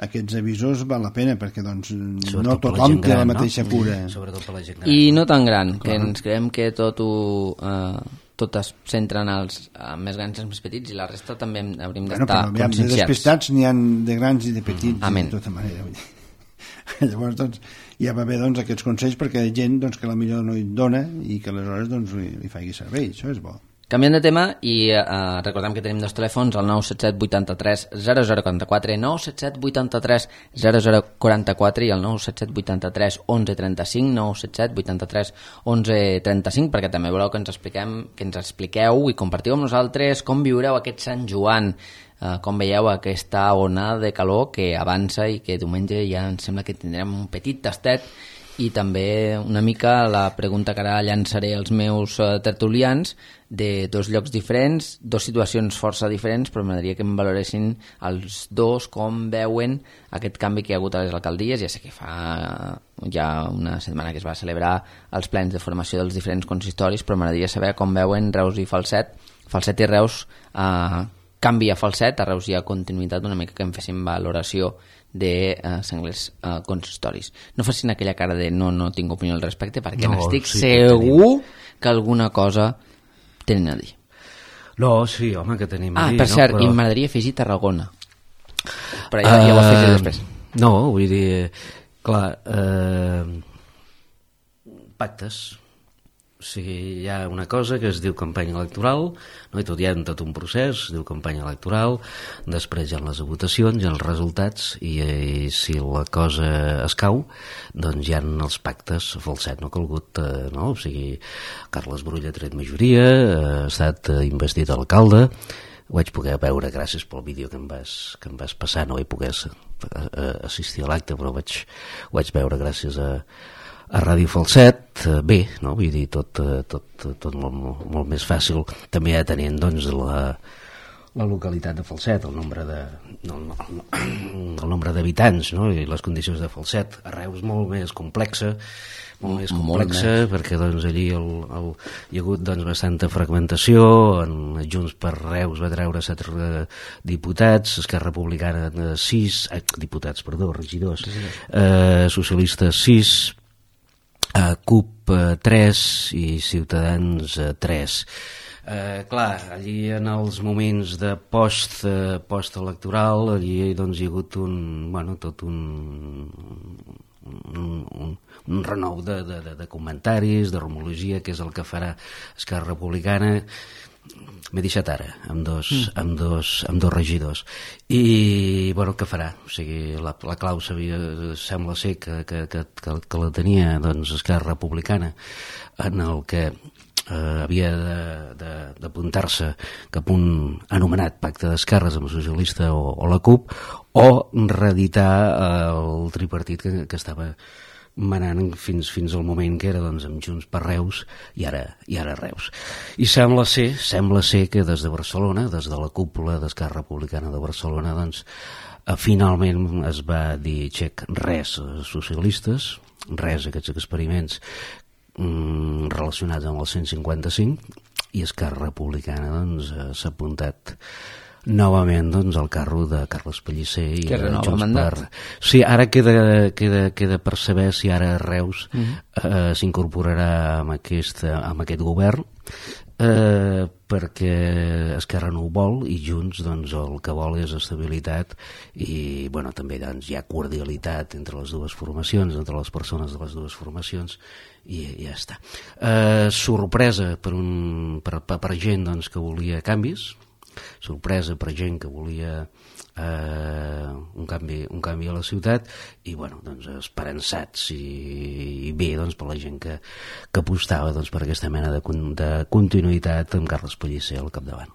aquests avisos val la pena perquè doncs, no tothom té la mateixa no? cura. Sobretot per la gent gran. I no tan gran, clar. Que ens creiem que tot ho... Eh, tot es centra en els uh, més grans i els més petits i la resta també hauríem bueno, d'estar però, conscienciats. De despistats n'hi ha de grans i de petits mm, Amen. De tota manera. Llavors doncs, ja va bé doncs, aquests consells perquè hi ha gent doncs, que la millor no hi dona i que aleshores doncs, li, li faci servei, això és bo. Canviant de tema i eh, recordem que tenim dos telèfons, el nou set set vuit tres zero zero quatre quatre, nou set set vuit tres zero zero quatre quatre i el nou set set vuit tres onze trenta cinc, nou set set vuit tres onze trenta cinc, perquè també voleu que ens expliquem, que ens expliqueu i compartiu amb nosaltres com viureu aquest Sant Joan, eh, com veieu aquesta onada de calor que avança i que diumenge ja em sembla que tindrem un petit tastet. I també una mica la pregunta que ara llançaré als meus uh, tertulians de dos llocs diferents, dos situacions força diferents, però m'agradaria que em valoressin els dos com veuen aquest canvi que hi ha hagut a les alcaldies. Ja sé que fa uh, ja una setmana que es va celebrar els plens de formació dels diferents consistoris, però m'agradaria saber com veuen Reus i Falset. Falset i Reus uh, canvia a Falset, a Reus hi ha continuïtat, una mica que em fessin valoració de uh, senglers uh, consistoris. No facin aquella cara de no, no tinc opinió al respecte perquè no, n'estic sí, segur que, que alguna cosa tenen a dir. No, sí, home, que tenim ah, a dir. Ah, per cert, no? Però... i m'agradaria afegir Tarragona. Però ja, uh, ja ho afegiré després. No, vull dir, clar, uh, pactes. O sigui, hi ha una cosa que es diu campanya electoral, no? I tot hi ha tot un procés, es diu campanya electoral, després hi ha les votacions, hi ha els resultats, i, i si la cosa es cau, doncs hi ha els pactes. Falset no ha calgut, eh, no? O sigui, Carles Brull ha tret majoria, ha estat investit alcalde, ho vaig poder veure gràcies pel vídeo que em vas, que em vas passar, no vaig poder assistir a l'acte, però vaig, ho vaig veure gràcies a a Ràdio Falset, bé, no? Vull dir, tot, tot, tot molt, molt més fàcil, també ja tenint doncs, la, la localitat de Falset, el nombre de el, el, el nombre d'habitants, no? I les condicions de Falset. A Reus molt més complexa, molt més complexa, molt més. Perquè doncs, allí el, el, hi ha hagut doncs, bastanta fragmentació. En Junts per Reus va treure set diputats, Esquerra Republicana sis, eh, diputats, perdó, regidors, sí, sí. Eh, socialistes sis, eh, C U P eh, tres i Ciutadans eh, tres. Eh, clar, allí en els moments de post, eh, post-electoral, allí doncs, hi ha hagut un, bueno, tot un, un, un, un renou de, de, de comentaris, de rumologia, que és el que farà Esquerra Republicana. M'he deixat ara, amb dos, mm. amb dos, amb dos regidors. I, bueno, què farà? O sigui, la, la clau sabia, sembla ser que, que, que, que, que la tenia doncs, Esquerra Republicana, en el que Uh, havia d'apuntar-se cap a un anomenat pacte d'esquerres amb el socialista o, o la C U P, o reeditar uh, el tripartit que, que estava manant fins, fins al moment que era doncs, amb Junts per Reus i ara, i ara Reus. I sembla ser, sembla ser que des de Barcelona, des de la cúpula d'Esquerra Republicana de Barcelona, doncs, uh, finalment es va dir xec, res socialistes, res aquests experiments relacionats amb el cent cinquanta-cinc, i Esquerra Republicana doncs, s'ha apuntat novament doncs, al carro de Carles Pellicer i que renova el mandat. Per... Sí, ara queda, queda, queda per saber si ara Reus uh -huh. eh, s'incorporarà amb, aquest, amb aquest govern, eh, perquè Esquerra no ho vol i Junts doncs, el que vol és estabilitat i bueno, també doncs, hi ha cordialitat entre les dues formacions, entre les persones de les dues formacions, i ja està. Eh, sorpresa per, un, per, per, per gent doncs, que volia canvis, sorpresa per gent que volia eh, un, canvi, un canvi a la ciutat, i bueno, doncs, esperançats i, i bé doncs, per la gent que, que apostava doncs, per aquesta mena de, de continuïtat amb Carles Pellicer al capdavant.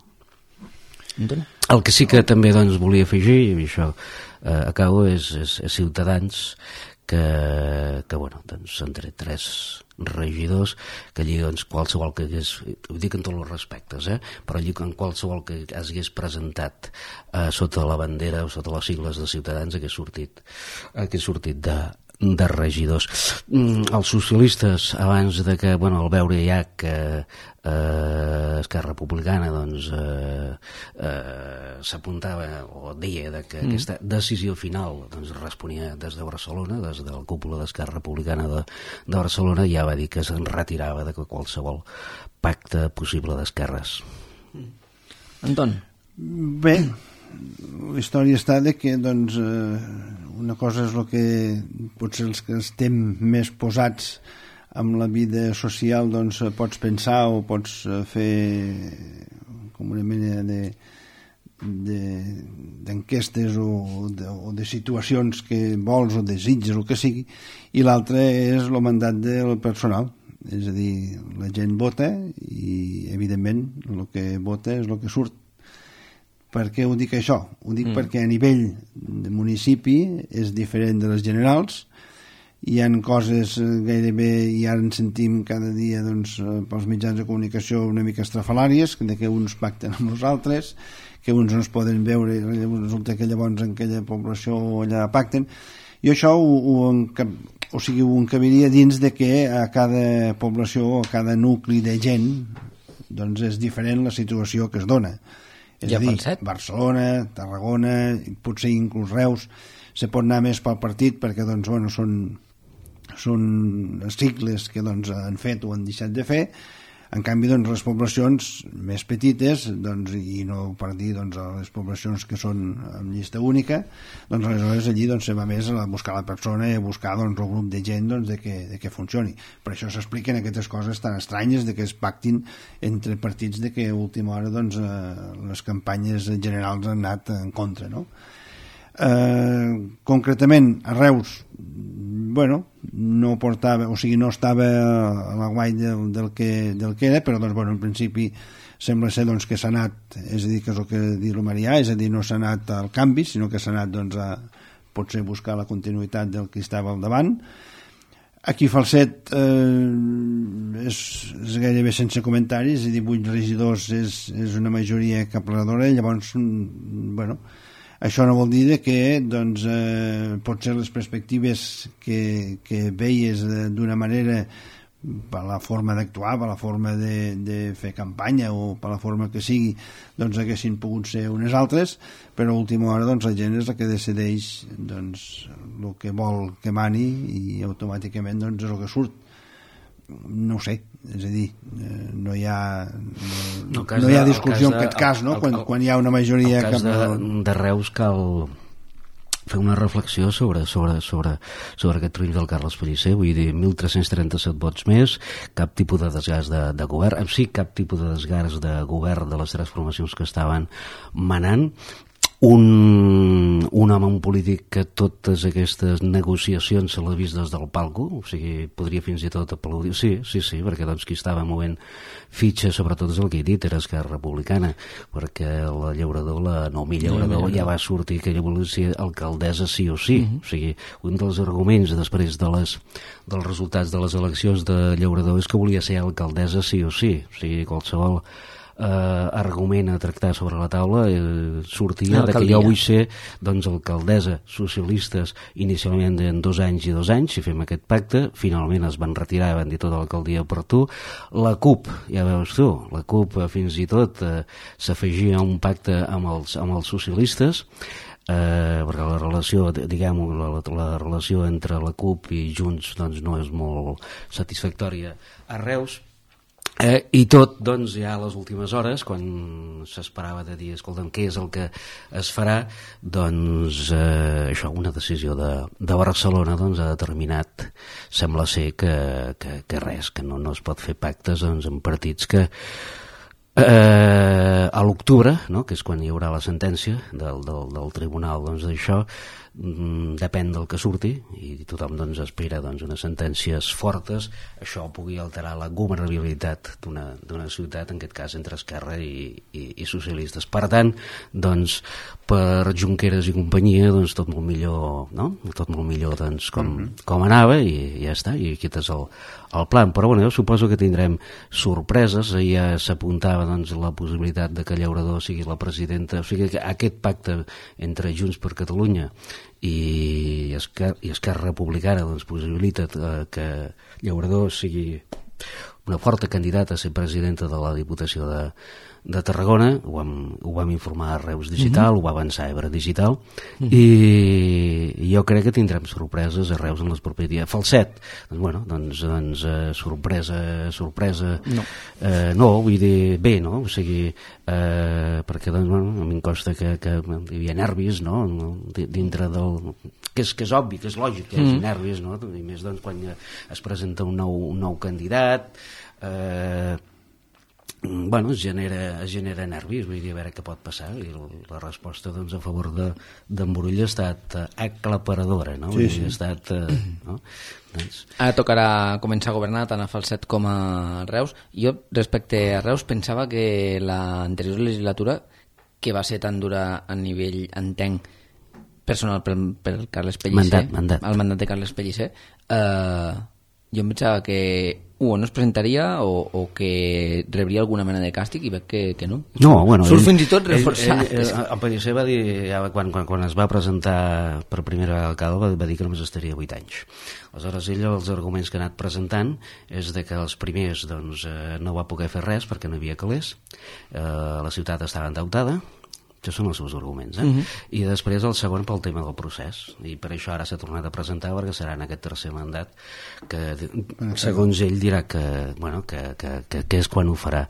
El que sí que també doncs, volia afegir, i això eh, acabo, és, és, és Ciutadans, que, que bueno, doncs, són tres regidors que allí doncs, qualsevol que hagués, ho dic en tots els respectes, eh? Però allí en qualsevol que es hagués presentat eh, sota la bandera o sota les sigles de Ciutadans hagués sortit, hagués sortit de, de regidors. Mm, els socialistes, abans de que, bueno, al veure ja que eh, Esquerra Republicana doncs eh, eh, s'apuntava o deia de que mm. aquesta decisió final doncs, responia des de Barcelona, des de la cúpula d'Esquerra Republicana de, de Barcelona, ja va dir que se'n retirava de qualsevol pacte possible d'esquerres. Anton? Bé, la història està de que doncs, eh, una cosa és el que potser els que estem més posats amb la vida social doncs pots pensar o pots fer com una mena de d'enquestes o, de, o de situacions que vols o desitges o que sigui, i l'altre és el mandat del personal, és a dir, la gent vota i evidentment el que vota és el que surt. Per què ho dic això? Ho dic mm. perquè a nivell de municipi és diferent de les generals, hi ha coses gairebé, i ara en sentim cada dia doncs, pels mitjans de comunicació una mica estrafalàries, de que uns pacten amb els altres, que uns no es poden veure, resulta que llavors en aquella població allà pacten, i això ho, ho, o sigui, ho encabiria dins de que a cada població o a cada nucli de gent doncs és diferent la situació que es dona. És ja a dir, Barcelona, Tarragona, potser inclús Reus, se pot anar més pel partit perquè doncs, bueno, són són cicles que doncs, han fet o han deixat de fer. En canvi, doncs, les poblacions més petites, doncs, i no per dir doncs, les poblacions que són en llista única, doncs aleshores allí doncs, se va més a buscar la persona i a buscar doncs, el grup de gent doncs, de, que, de que funcioni. Per això s'expliquen aquestes coses tan estranyes de que es pactin entre partits de que a última hora doncs, eh, les campanyes generals han anat en contra, no? Eh, concretament a Reus, bueno, no portava, o sigui, no estava a la guai del, del, que, del que era, però doncs, bueno, en principi sembla ser doncs, que s'ha anat, és a dir, que és el que diu el Marià, és a dir, no s'ha anat al canvi, sinó que s'ha anat doncs, a potser buscar la continuïtat del que estava al davant. Aquí Falset eh, és, és és gairebé sense comentaris, i divuit regidors és, és una majoria aclaparadora. Llavors, bueno, això no vol dir que doncs, eh, potser les perspectives que, que veies d'una manera per la forma d'actuar, per la forma de, de fer campanya o per la forma que sigui, doncs haguessin pogut ser unes altres, però a última hora doncs, la gent és la que decideix doncs, el que vol que mani, i automàticament doncs, és el que surt. No ho sé, és a dir, no hi ha no, no, no hi ha discussió en aquest cas, no? quan, quan hi ha una majoria... El cas de, de Reus cal fer una reflexió sobre, sobre, sobre, sobre aquest triomf del Carles Pellicer. Vull dir, mil tres-cents trenta-set vots més, cap tipus de desgast de, de govern, en si cap tipus de desgast de govern de les tres formacions que estaven manant. Un, un home, un polític que totes aquestes negociacions se l'ha vist des del palco, o sigui, podria fins i tot aplaudir. Sí, sí, sí, perquè doncs qui estava movent fitxes, sobretot és el que he dit, era Esquerra Republicana, perquè la Llaurador, la Noemí Llaurador, ja va sortir que ella volia ser alcaldessa sí o sí. Uh-huh. O sigui, un dels arguments després de les, dels resultats de les eleccions de Llaurador és que volia ser alcaldessa sí o sí. O sigui, qualsevol Uh, argument a tractar sobre la taula eh, sortia de que jo vull ser doncs alcaldessa. Socialistes inicialment en dos anys i dos anys, si fem aquest pacte, finalment es van retirar i van dir tota l'alcaldia per tu. La CUP, ja veus tu, la CUP eh, fins i tot eh, s'afegia a un pacte amb els, amb els socialistes, eh, perquè la relació, diguem la, la relació entre la CUP i Junts doncs no és molt satisfactòria a Reus. Eh, I tot, doncs, ja a les últimes hores, quan s'esperava de dir, escolta'm, què és el que es farà, doncs, eh, això, una decisió de, de Barcelona, doncs, ha determinat, sembla ser que, que, que res, que no, no es pot fer pactes, doncs, en partits que eh, a l'octubre, no?, que és quan hi haurà la sentència del, del, del tribunal, doncs, d'això, depèn del que surti, i tothom doncs, espera doncs, unes sentències fortes, això pugui alterar la governabilitat d'una, d'una ciutat, en aquest cas entre Esquerra i, i, i socialistes. Per tant, doncs, per Junqueras i companyia, doncs, tot molt millor, no? Tot molt millor doncs, com, mm-hmm. com anava, i ja està, i aquest és el, el plan. Però bueno, jo suposo que tindrem sorpreses. Ja s'apuntava doncs, la possibilitat de que Llaurador sigui la presidenta, o sigui que aquest pacte entre Junts per Catalunya i Esquerra, i Esquerra Republicana doncs, possibilita eh, que Llaurador sigui una forta candidata a ser presidenta de la Diputació de, de Tarragona. Ho vam, ho vam informar a Reus Digital, mm-hmm. ho va avançar Ebre Digital, mm-hmm. i jo crec que tindrem sorpreses a Reus en les propers dies. Falset, doncs, bueno, doncs, doncs eh, sorpresa, sorpresa, no. Eh, no, vull dir, bé, no? O sigui, eh, perquè doncs, bueno, a mi em costa que, que hi havia nervis, no? Dintre del... Que és, que és obvi, que és lògic que hi hagi mm. nervis, no? I més doncs quan es presenta un nou, un nou candidat, eh, bueno, es genera, es genera nervis, vull dir, a veure què pot passar, i la resposta doncs, a favor d'en Brull ha estat aclaparadora, no? Sí, sí. Ha estat, eh, no? Doncs... Ara tocarà començar a governar tant a Falset com a Reus. Jo, respecte a Reus, pensava que l'anterior legislatura, que va ser tan dura a nivell, entenc, personal per, per Carles Pellicer, mandat, mandat. el mandat de Carles Pellicer, eh, jo em pensava que o no es presentaria o, o que rebria alguna mena de càstig, i veig que, que no. No, bueno... Surt fins i tot reforçat. Ell, ell, ell, el Pellicer va dir, ja, quan, quan, quan es va presentar per primera vegada al alcalde, va, va dir que només estaria vuit anys. Aleshores, ell, els arguments que ha anat presentant és de que els primers doncs, eh, no va poder fer res perquè no hi havia calés, eh, la ciutat estava endeutada. Això són els seus arguments, eh? Uh-huh. I després el segon pel tema del procés, i per això ara s'ha tornat a presentar, perquè serà en aquest tercer mandat que, segons ell, dirà que, bueno, que, que, que, que és quan ho farà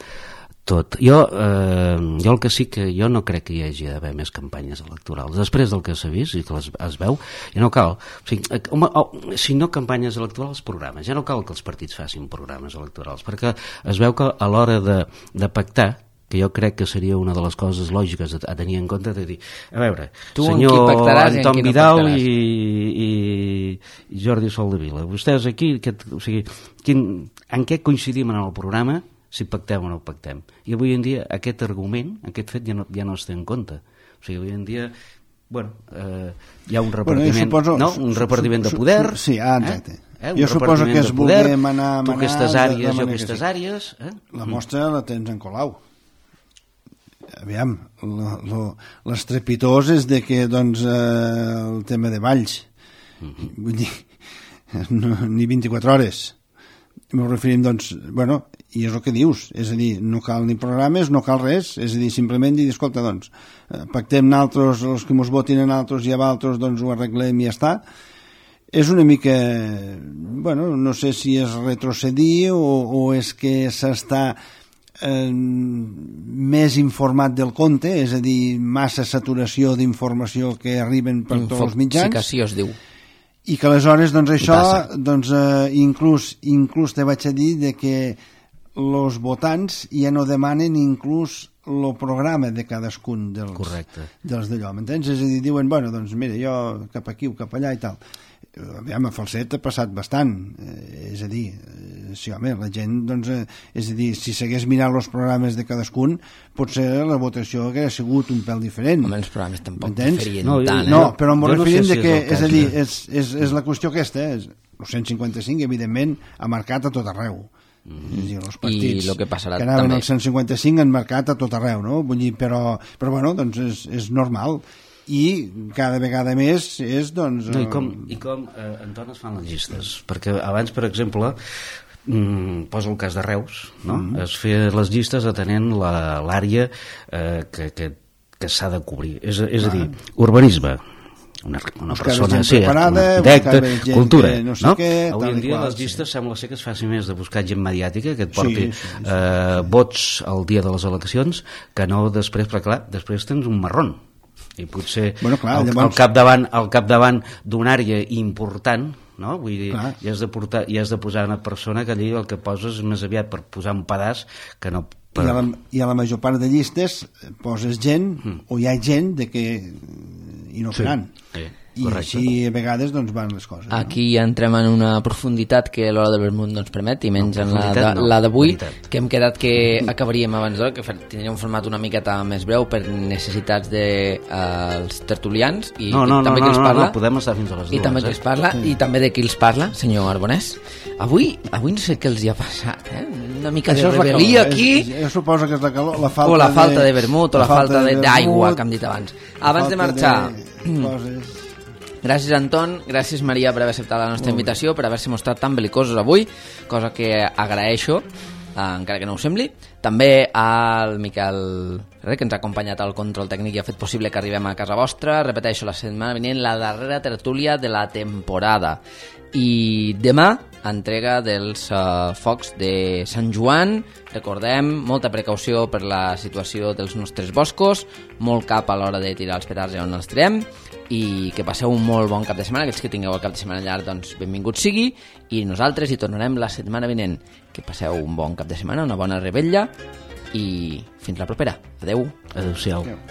tot. Jo, eh, jo el que sí que jo no crec que hi hagi d'haver més campanyes electorals. Després del que s'ha vist i que les, es veu, ja no cal. O sigui, home, oh, si no campanyes electorals, programes. Ja no cal que els partits facin programes electorals, perquè es veu que a l'hora de, de pactar, que jo crec que seria una de les coses lògiques a, a tenir en compte, de dir, a veure, tu senyor Anton Vidal no i, i, i Jordi Soldevila, vostès aquí, aquest, o sigui, quin, en què coincidim en el programa, si pactem o no pactem? I avui en dia aquest argument, aquest fet ja no, ja no es té en compte. O sigui, avui en dia, bueno, eh, hi ha un repartiment, bueno, suposo, no? un repartiment de poder, sí, ah, exacte. Eh? Eh? Un jo suposo que es poder, vulgui manar, tu manar aquestes àrees, jo aquestes sí. àrees... Eh? La mostra la tens en Colau. Aviam, lo, lo, l'estrepitós és de que, doncs, eh, el tema de Valls, uh-huh. vull dir, no, ni vint-i-quatre hores. M'ho referim, doncs, bueno, i és el que dius, és a dir, no cal ni programes, no cal res, és a dir, simplement dir, escolta, doncs, pactem naltros, els que mos votin a naltros i a altres, doncs ho arreglem i ja està. És una mica, bueno, no sé si és retrocedir o, o és que s'està eh, més informat del compte, és a dir, massa saturació d'informació que arriben per Info- tots els mitjans. Infoxicació es diu. I que aleshores, doncs això, doncs, eh, inclús, inclús te vaig a dir de que els votants ja no demanen inclús el programa de cadascun dels, Correcte. dels d'allò, m'entens? És a dir, diuen, bueno, doncs mira, jo cap aquí o cap allà i tal. Aviam, a Falset ha passat bastant, eh, és a dir, eh, sí, home, la gent, doncs, eh, és a dir, si s'hagués mirat els programes de cadascun, potser la votació hauria sigut un pèl diferent. Home, els programes tampoc M'entens? diferien No, tant, eh? No, però m'ho Jo no referim sé si de que, és el és a cas, dir, eh? és, és, és la qüestió aquesta, és, el cent cinquanta-cinc, evidentment, ha marcat a tot arreu. Mm. És a dir, els partits I lo que passarà que anaven també. al cent cinquanta-cinc han marcat a tot arreu, no? Vull dir, però, però bueno, doncs és, és normal. I cada vegada més és, doncs... No, i com, i com eh, Anton, es fan les llistes? Perquè abans, per exemple, mm, posa el cas de Reus, no? Mm. Es feia les llistes atenent la, l'àrea eh, que, que, que s'ha de cobrir. És, és a dir, urbanisme, una, una persona, sí, arquitecte, cultura, no? Sé no? Què, avui en dia qual, les llistes sí. Sembla ser que es faci més de buscatge mediàtica, que et porti sí, sí, sí. Eh, vots el dia de les eleccions, que no després, perquè clar, després tens un marrón. I potser bueno, clar, al, llavors... al capdavant, al capdavant d'una àrea important, no? Vull dir, hi has, de portar, hi has de posar una persona que allí el que poses és més aviat per posar un pedaç que no... Per... I, a la, I a la major part de llistes poses gent, mm. o hi ha gent de que inoperant. Sí, sí. I correcte. Així a vegades doncs, van les coses. Aquí no? Entrem en una profunditat que l'hora del vermut no ens permet, i menys no, en la, de, no, la d'avui, veritat. Que hem quedat que acabaríem abans d'hora, que tindríem un format una miqueta més breu per necessitats dels de, uh, tertulians i, no, no, i també no, qui els no, parla, no, no, podem estar fins a les dues, i també eh? qui els parla, sí. I també de qui els parla, senyor Arbonès. Avui, avui no sé què els hi ha passat, eh? Una mica això de rebel·lia aquí. És, jo suposo que és la calor, la falta o la falta de, de vermut, o la, la falta d'aigua, que hem dit abans. Abans de marxar... De gràcies, Anton, gràcies, Maria, per haver acceptat la nostra invitació, per haver-se mostrat tan belicosos avui, cosa que agraeixo, eh, encara que no ho sembli. També al Miquel Ferrer, que ens ha acompanyat al control tècnic i ha fet possible que arribem a casa vostra. Repeteixo, la setmana vinent, la darrera tertúlia de la temporada. I demà, entrega dels uh, focs de Sant Joan. Recordem, molta precaució per la situació dels nostres boscos, molt cap a l'hora de tirar els petards on els tirem, i que passeu un molt bon cap de setmana. Aquells que tingueu el cap de setmana llarg, doncs benvingut sigui, i nosaltres hi tornarem la setmana vinent. Que passeu un bon cap de setmana, una bona rebella, i fins la propera. Adeu. Adéu-siau. Adéu.